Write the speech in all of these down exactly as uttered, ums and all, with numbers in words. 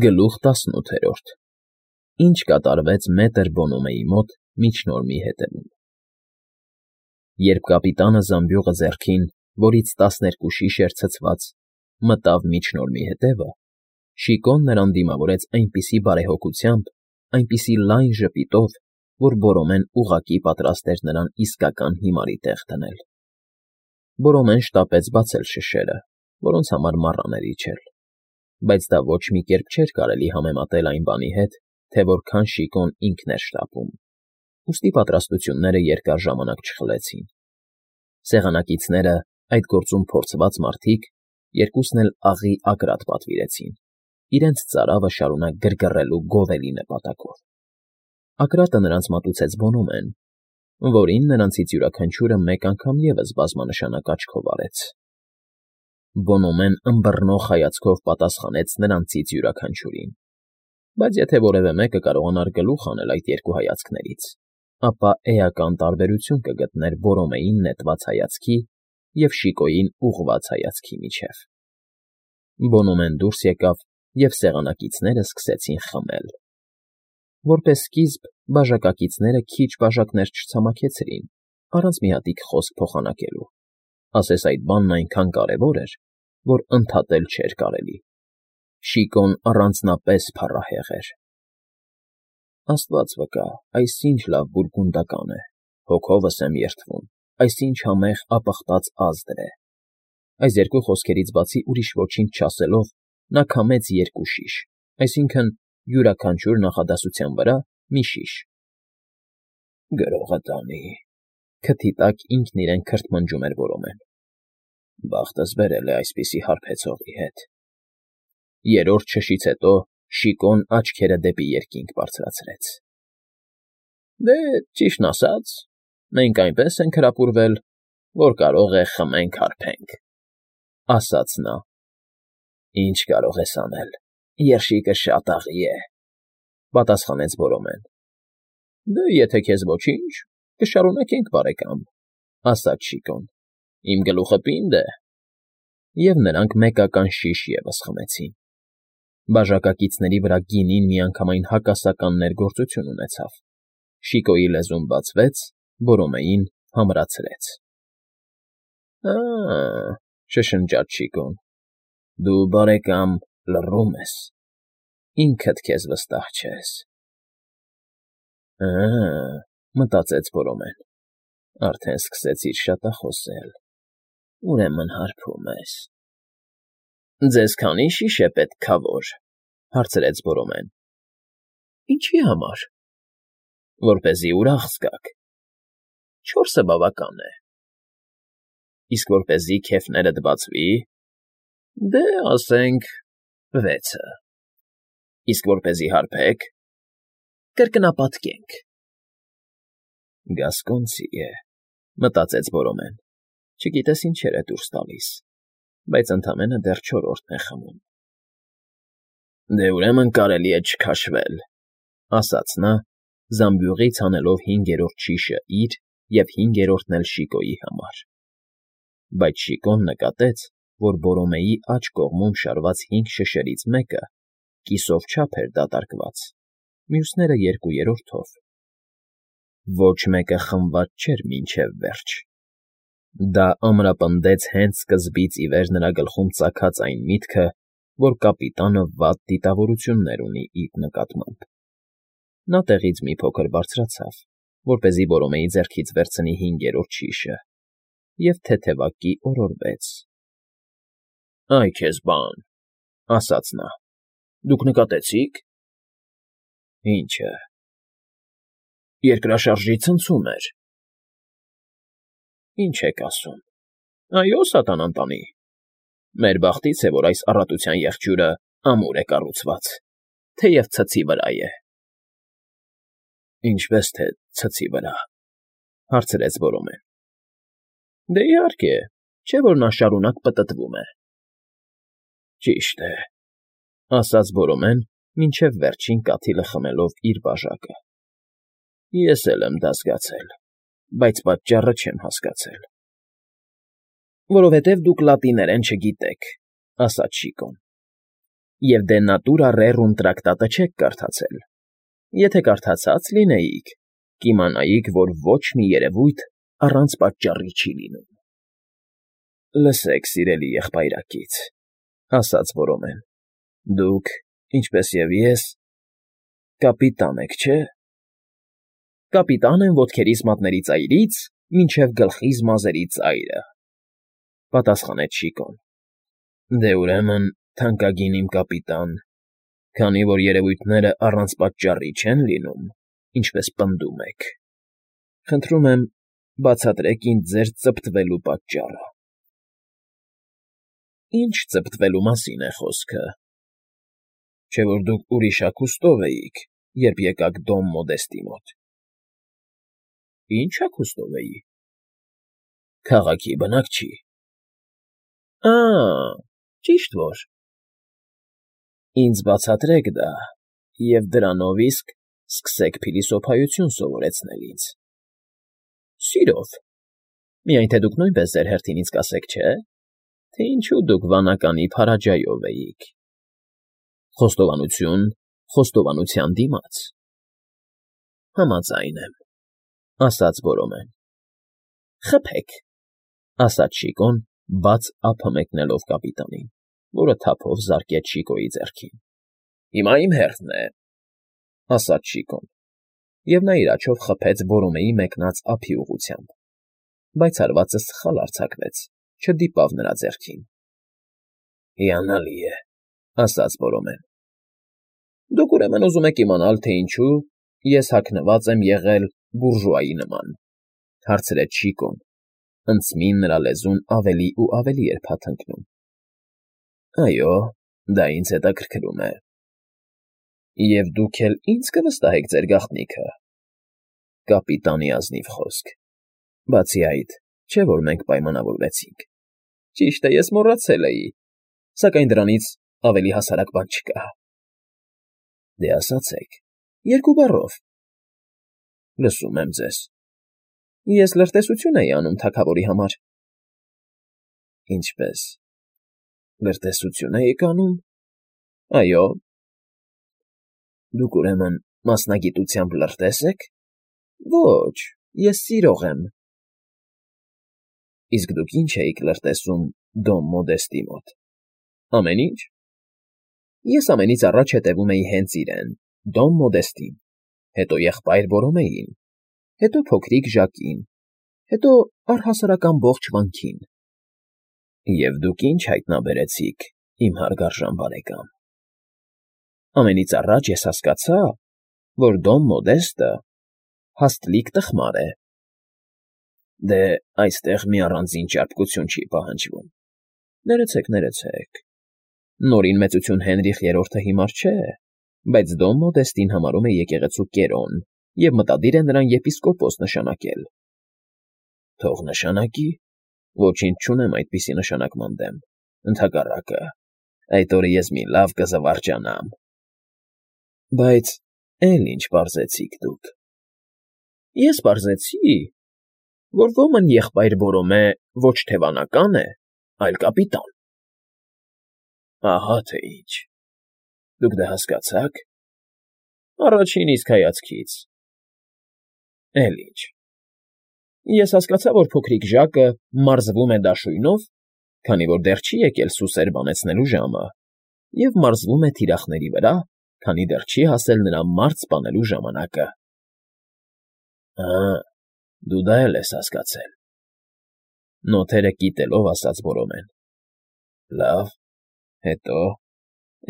Գլուխ տասնութերորդ Ինչ կատարվեց մետր Բոնոմեի մոտ միջնորմի հետևում։ Երբ կապիտանը զամբյուղը ձեռքին, որից տասներկու շիշ էր ցցված, մտավ միջնորմի հետևը, Շիկոն նրան դիմավորեց այնպիսի բարեհոգությամբ, այնպիսի լայն ժպիտով, որ Բորոմեն ուղղակի պատրաստ էր նրան իսկական հիմարի տեղ դնել։ Բորոմեն շտապեց բացել շշերը, որոնց համար մառան էր իջել, բայց դա ոչ մի կերպ չէր կարելի համեմատել այն բանի հետ, թե որքան Շիկոն ինքն էր շտապում, ուստի պատրաստությունները երկար ժամանակ չխլեցին։ Սեղանակիցները, այդ գործում փորձված մարդիկ, երկուսն էլ աղի ագռատ պատվիրեցին, իրենց ծարավը շարունակ գրգռելու գովելի նպատակով։ Ագռատը նրանց մատուցեց Բոնոմեն, որին նրանցից յուրաքանչյուրը մեկ անգամ ևս բազմանշանակ աչքով արեց։ Բոնոմեն ըմբռնող հայացքով պատասխանեց նրանցից յուրաքանչյուրին, բայց եթե որևէ մեկը կարողանար գլուխ անել այդ երկու հայացքներից, ապա էական տարբերություն կգտներ Բորոմեին նետված հայացքի և Շիկոյին ուղղված հայացքի միջև։ Բոնոմեն դուրս եկավ, և սեղանակիցները սկսեցին խմել։ Որպես սկիզբ բաժակակիցները քիչ բաժակներ չցամաքեցրին, առանց մի հատիկ խոսք փոխանակելու, ասես այդ բանն այնքան կարևոր էր, որ ընդհատել չէր կարելի։ Շիկոն առանձնապես փառահեղ էր։ Աստված վկա, այս ինչ լավ բուրգունդական է, հոգովս եմ երդվում, այս ինչ համեղ ապխտած ազդր է։ Այս երկու խոսքերից բացի ուրիշ ոչինչ չասելով, նա քամեց երկու շիշ, այսինքն՝ յուրաքանչյուր նախադասության վրա մի շիշ։ Գրողը տանի, քթի տակ ինքն իրեն քրթմնջում էր Բորոմեն։ Բախտս բերել է այսպիսի հարբեցողի հետ։ Երրորդ շշից հետո Շիկոն աչքերը դեպի երկինք բարձրացրեց։ Դե, ճիշտն ասած, մենք այնպես ենք հրապուրվել, որ կարող է խմենք հարբենք, ասաց նա։ Ինչ կարող ես անել, երշիկը շատ աղի է, պատասխանեց Բորոմեն։ Դե, եթե քեզ ոչինչ, կշարունակենք, բարեկամ, ասաց Շիկոն։ Իմ գլուխը պինդ է։ Եվ նրանք մեկական շիշ ևս խմեցին։ Բաժակակիցների վրա գինին միանգամայն հակասական ներգործություն ունեցավ։ Շիկոյի լեզուն բացվեց, Բորոմեին համրացրեց։ Ա՜, շշնջաց Շիկոն, դու, բարեկամ, լռում ես, ինքդ քեզ վստահ չես։ Ա՜, մտածեց Բորոմեն, արդեն սկսեցիր շատախոսել, ուրեմն հարբում ես։ Ձեզ քանի՞ շիշ է պետք, քավոր, հարցրեց Բորոմեն։ Ինչի համար։ Որպեսզի ուրախ զգաք։ Չորսը բավական է։ Իսկ որպեսզի քեֆներդ բացվի։ Դե, ասենք, վեցը։ Իսկ որպեսզի հարբեք, կրկնապատկենք։ Գասկոնցի է, մտածեց Բորոմեն, չգիտես ինչեր է դուրս տալիս, բայց ընդամենը դեռ չորրորդն է խմում։ Դե ուրեմն կարելի է չքաշվել, ասաց նա, զամբյուղից հանելով հինգերորդ շիշը իր և հինգերորդն էլ Շիկոյի համար։ Բայց Շիկոն նկատեց, որ Բորոմեի աջ կողմում շարված հինգ շշերից մեկը կիսով չափ էր դատարկված, մյուսները երկու երրորդով։ Ոչ մեկը խմված չէր մինչև վերջ։ Դա ամրապնդեց հենց սկզբից ի վեր նրա գլխում ծագած այն միտքը, որ կապիտանը վատ դիտավորություններ ունի իր նկատմամբ։ Նա տեղից մի փոքր բարձրացավ, որպեսզի Բորոմեի ձեռքից վերցնի հինգերորդ շիշը, և թեթևակի օրորվեց։ Այ քեզ բան, ասաց նա, դուք նկատեցի՞ք։ Ինչը։ Երկրաշարժի ցնցում էր։ Ինչ եք ասում։ Այո, սատանան տանի։ Մեր բախտից է, որ այս առատության եղջյուրը ամուր է կառուցված, թեև ցցի վրա է։ Ինչպես թե ցցի վրա, հարցրեց Բորոմեն։ Դե իհարկե, չէ՞ որ նա շարունակ պտտվում է։ Ճիշտ է, ասաց Բորոմեն, մինչև վերջին կաթիլը խմելով իր բաժակը։ Ես էլ եմ դա զգացել, բայց պատճառը չեմ հասկացել։ Որովհետև դուք լատիներեն չգիտեք, ասաց Շիկոն։ Եվ դե Natura Rerum տրակտատը չեք կարդացել։ Եթե կարդացած լինեիք, կիմանայիք, որ ոչ մի երևույթ առանց պատճառի չի լինում։ Լսեք, սիրելի եղբայրակից, ասաց Որոմեն, դուք, ինչպես և ես, կապիտան եք, չէ՞։ Կապիտան եմ ոտքերիս մատների ծայրից մինչև գլխիս մազերի ծայրը, պատասխանեց Շիկոն։ Դե ուրեմն, թանկագին իմ կապիտան, քանի որ երևույթները առանց պատճառի չեն լինում, ինչպես պնդում եք, խնդրում եմ, բացատրեք ինձ ձեր ծպտվելու պատճառը։ Ինչ ծպտվելու մասին է խոսքը։ Չէ՞ որ դուք ուրիշ հագուստով էիք, երբ եկաք Դոմ Մոդեստի մոտ։ Ինչ հագուստով էի։ Քաղաքի բնակչի։ Ա՜, ճիշտ որ։ Ինձ բացատրեք դա, և դրանով իսկ սկսեք փիլիսոփայություն սովորեցնել ինձ։ Սիրով։ Միայն թե դուք նույնպես ձեր հերթին ինձ կասեք, չէ՞, թե ինչու դուք վանականի Փարաջայով էիք։ Խոստովանություն խոստովանության դիմաց։ Համաձայն եմ, ասաց Որոմեն։ Խփեք, ասաց Շիկոն, բաց ափը մեկնելով կապիտանին, որը թափով զարկեց Շիկոյի ձեռքին։ Հիմա իմ հերթն է, ասաց Շիկոն, և նա իր աջով խփեց Որոմեի մեկնած ափի ուղղությամբ, բայց հարվածը սխալ արձակվեց, չդիպավ նրա ձեռքին։ Հիանալի է, ասաց Որոմեն։ Դուք ուրեմն ուզում եք իմանալ, թե ինչու ես հագնված եմ եղել բուրժուայի նման, հարցրեց Շիկոն, ընծմին նրա լեզուն ավելի ու ավելի էր փաթնթնում։ Այո, դա ինձ հետաքրքրում է։ Եվ դուք էլ ինձ կվստահեք ձեր գաղտնիքը։ Կապիտանի ազնիվ խոսք։ Բացի այդ, չէ՞ որ մենք պայմանավորվեցինք։ Ճիշտ է, ես մոռացել էի, սակայն դրանից ավելի հասարակ բան չկա։ Դե ասացեք, երկու բառով։ Լսում եմ ձեզ։ Ես լրտեսություն էի անում թագավորի համար։ Ինչպե՞ս։ Լրտեսություն էիք անում։ Այո։ Դուք ուրեմն մասնագիտությամբ լրտես եք։ Ոչ, ես սիրող եմ։ Իսկ դուք ինչ էիք լրտեսում Դոմ Մոդեստի մոտ։ Ամեն ինչ։ Ես ամենից առաջ հետևում էի հենց իրեն, Դոմ Մոդեստին, հետո եղբայր Որոմեին, հետո փոքրիկ Ժակին, հետո առհասարակ ամբողջ վանքին։ Եվ դուք ինչ հայտնաբերեցիք, իմ հարգարժան բարեկամ։ Ամենից առաջ ես հասկացա, որ Դոմ Մոդեստը հաստլիկ տխմար է։ Դե, այստեղ մի առանձին ճարպկություն չի պահանջվում։ Ներեցեք, ներեցեք։ Նորին մեծություն Հենրիխ երրորդը հիմար չէ, բայց Դոմ Մոդեստին համարում է եկեղեցու կերոն և մտադիր է նրան եպիսկոպոս նշանակել։ Թող նշանակի, ոչինչ չունեմ այդպիսի նշանակման դեմ, ընդհակառակը, այդ օրը ես մի լավ կզվարճանամ։ Բայց էլ ինչ պարզեցիք դուք։ Ես պարզեցի, որ ոմն եղբայր Որոմե ոչ թե վանական է, այլ կապիտան։ Ահա թե ինչ։ Դուք դա հասկացա՞ք։ Առաջին իսկ հայացքից։ Էլ ինչ։ Ես հասկացա, որ փոքրիկ Ժակը մարզվում է դաշույնով, քանի որ դեռ չի եկել սուսեր բանեցնելու ժամը, և մարզվում է թիրախների վրա, քանի դեռ չի հասել նրա մարզ սպանելու ժամանակը։ Ա, դու դա էլ ես հասկացել։ Նոթերը կիտելով ասաց Որոմեն։ Լավ, հետո,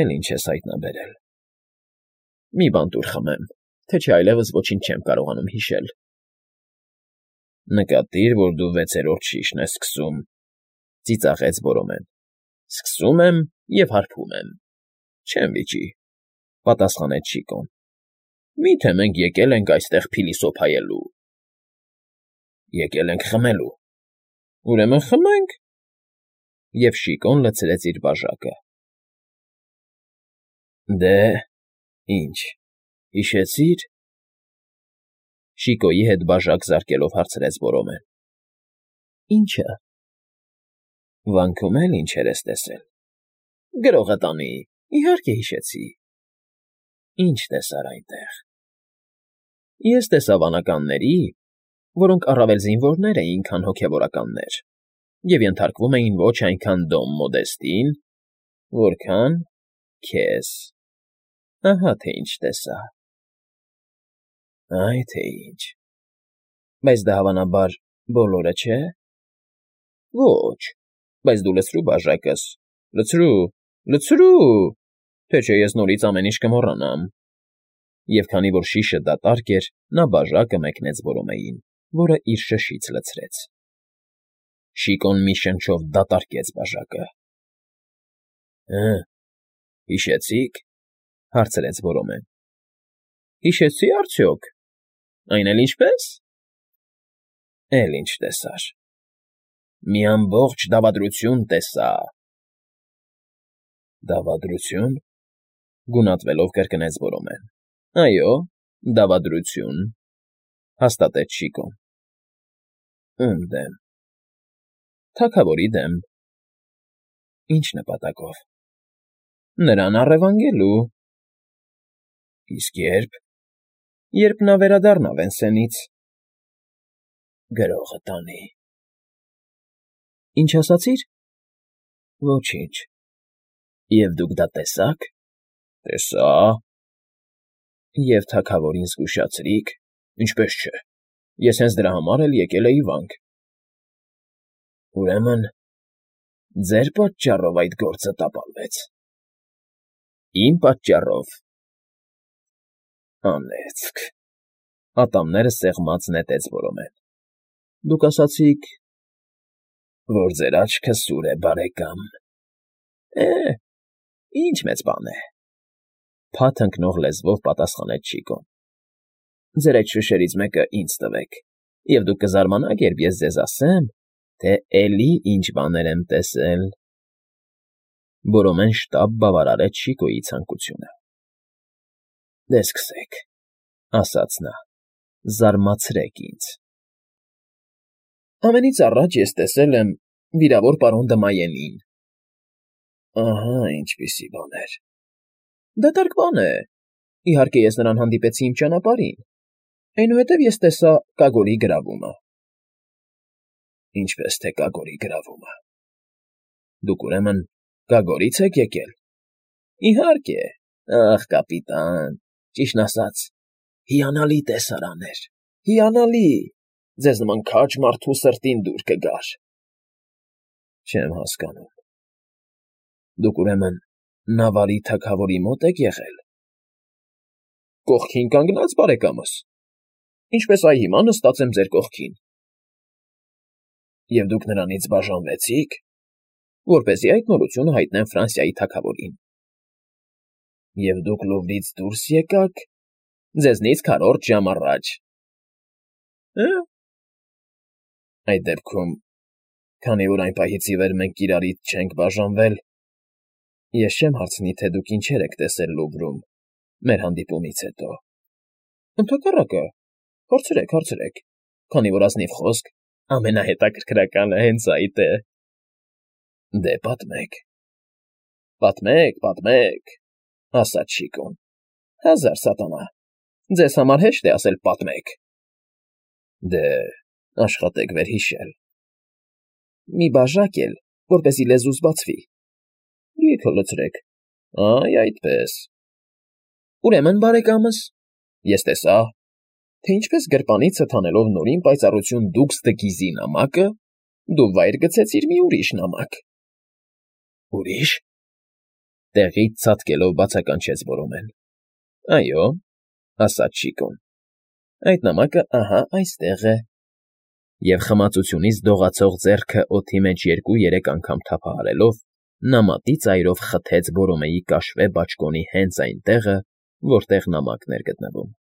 էլ ինչ ես հայտնաբերել։ Մի բան տուր խմեմ, թե չէ այլևս ոչինչ չեմ կարողանում հիշել։ Նկատիր, որ դու վեցերորդ շիշն ես սկսում, ծիծաղեց Որոմեն։ Սկսում եմ և հարբում եմ։ Չեմ վիճի, պատասխանեց Շիկոն։ Մի՞թե մենք եկել ենք այստեղ փիլիսոփայելու։ Եկել ենք խմելու։ Ուրեմն խմենք։ Եվ Շիկոն լցրեց իր բաժակը։ Դե, ինչ, հիշեցի՞ր։ Շիկոյի հետ բաժակ զարկելով հարցրեց Որոմեն։ Ի՞նչը։ Վանքում էլ ինչեր ես տեսել։ Գրողը տանի, Իհարկե հիշեցի։ Ինչ տեսար այնտեղ։ Ես տեսա վանականների, որոնք առավել զինվորներ էին, քան հոգևորականներ, և ենթարկվում էին ոչ այնքան Դոն Մոդեստին, որքան քեզ. ահա թե ինչ տեսա։ Այ թե ինչ, բայց դա հավանաբար բոլորը չէ։ Ոչ, բայց դու լցրու բաժակս, լցրու, լցրու, թե չէ ես նորից ամեն ինչ կմոռանամ։ Եվ քանի որ շիշը դատարկ էր, նա բաժակը մեկնեց Որոմեին, որը իր շշից լցրեց։ Շիկոն մի շնչով դատարկեց բաժակը։ Հը, հիշեցի՞ք,֊ հարցրեց Որոմեն։ Հիշեցի՞ արդյոք, այն էլ ինչպե՞ս։ Էլ ինչ տեսար։ Մի ամբողջ դավադրություն տեսա։ Դավադրությո՞ւն,֊ գունատվելով կրկնեց Որոմեն։ Այո, դավադրություն,֊ հաստատեց Շիկոն։ Ո՞ւմ դեմ։ Թագավորի դեմ։ Ինչ նպատակով։ Նրան առևանգելու։ Իսկ ե՞րբ։ Երբ նա վերադառնա Վենսենից։ Գրողը տանի։ Ինչ ասացիր։ Ոչինչ։ Եվ դուք դա տեսա՞ք։ Տեսա։ Եվ թագավորին զգուշացրի՞ք։ Ինչպես չէ։ Ես հենց դրա համար էլ եկել էի վանք։ Ուրեմն ձեր պատճառով այդ գործը տապալվեց։ Իմ պատճառով։ Անեծք,֊ ատամները սեղմած նետեց Որոմեն։ Դուք ասացիք, որ ձեր աչքը սուր է, բարեկամ։ Է, ինչ մեծ բան է,֊ փաթ ընկնող լեզվով պատասխանեց Շիկոն։ Ձեր այդ շշերից մեկը ինձ տվեք, և դուք կզարմանաք, երբ ես ձեզ ասեմ, թե էլի ինչ բաներ եմ տեսել։ Որոմեն շտապ բավարարեց Շիկոյի ցանկությունը։ Դե սկսեք,֊ ասաց նա,֊ զարմացրեք ինձ։ Ամենից առաջ ես տեսել եմ վիրավոր պարոն Դմայենին։ Ահա ինչպիսի բաներ։ Դատարկ բան է։ Իհարկե ես նրան հանդիպեցի իմ ճանապարհին։ Այնուհետև ես տեսա Կագորի գրավումը։ Ինչպես թե Կագորի գրավումը։ Դուք ուրեմն Կագորի՞ց եք եկել։ Իհարկե, ախ, կապիտան, ճիշտն ասած, հիանալի տեսարան էր, հիանալի, ձեզ նման քաջ մարդու սրտին դուր կգար։ Չեմ հասկանում։ Դուք ուրեմն Նավարի թագավորի մոտ եք եղել։ Կողքին կանգնած, բարեկամս։ Ինչպես այ հիմա նստած եմ ձեր կողքին։ Եվ դուք նրանից բաժանվեցի՞ք, որպեսզի այդ նորությունը հայտնեմ Ֆրանսիայի թագավորին։ Եվ դուք Լուվրից դուրս եկաք ձեզնից քառորդ ժամ առաջ։ Հը՞։ Այդ դեպքում, քանի որ այն պահից ի վեր մենք իրարից չենք բաժանվել, ես չեմ հարցնի, թե դուք ինչեր եք տեսել Լուվրում մեր հանդիպումից հետո։ Ընդհակառակը, հարցրեք, հարցրեք, քանի որ ազնիվ խոսք, ամենահետաքրքրականը հենց այդ է։ Դե պատմեք։ Պատմեք, պատմեք,֊ ասաց Շիկոն։ Հազար սատանա, ձեզ համար հեշտ է ասել պատմեք։ Դե, աշխատեք վերհիշել։ Մի բաժակ էլ, որպեսզի լեզուս բացվի։ Լիքը լցրեք։ Այ այդպես։ Ուրեմն, բարեկամս, ես տեսա, թե ինչպես գրպանիցդ հանելով նորին պայծառություն դուք ստգիզի նամակը, դու վայր գցեցիր մի ուրիշ նամակ։ Ուրիշ։ Տեղից ցատկելով բացականչեց Որոմեն։ Այո, ասաց Շիկոն։ Այդ նամակը ահա այստեղ է։ Եվ խմացությունից դողացող ձեռքը օդի մեջ երկու֊երեք անգամ թափահարելով, նա մատի ծայրով խթեց Որոմեի կաշվե բաճկոնի հենց այն տեղը, որտեղ նամակն էր գտնվում։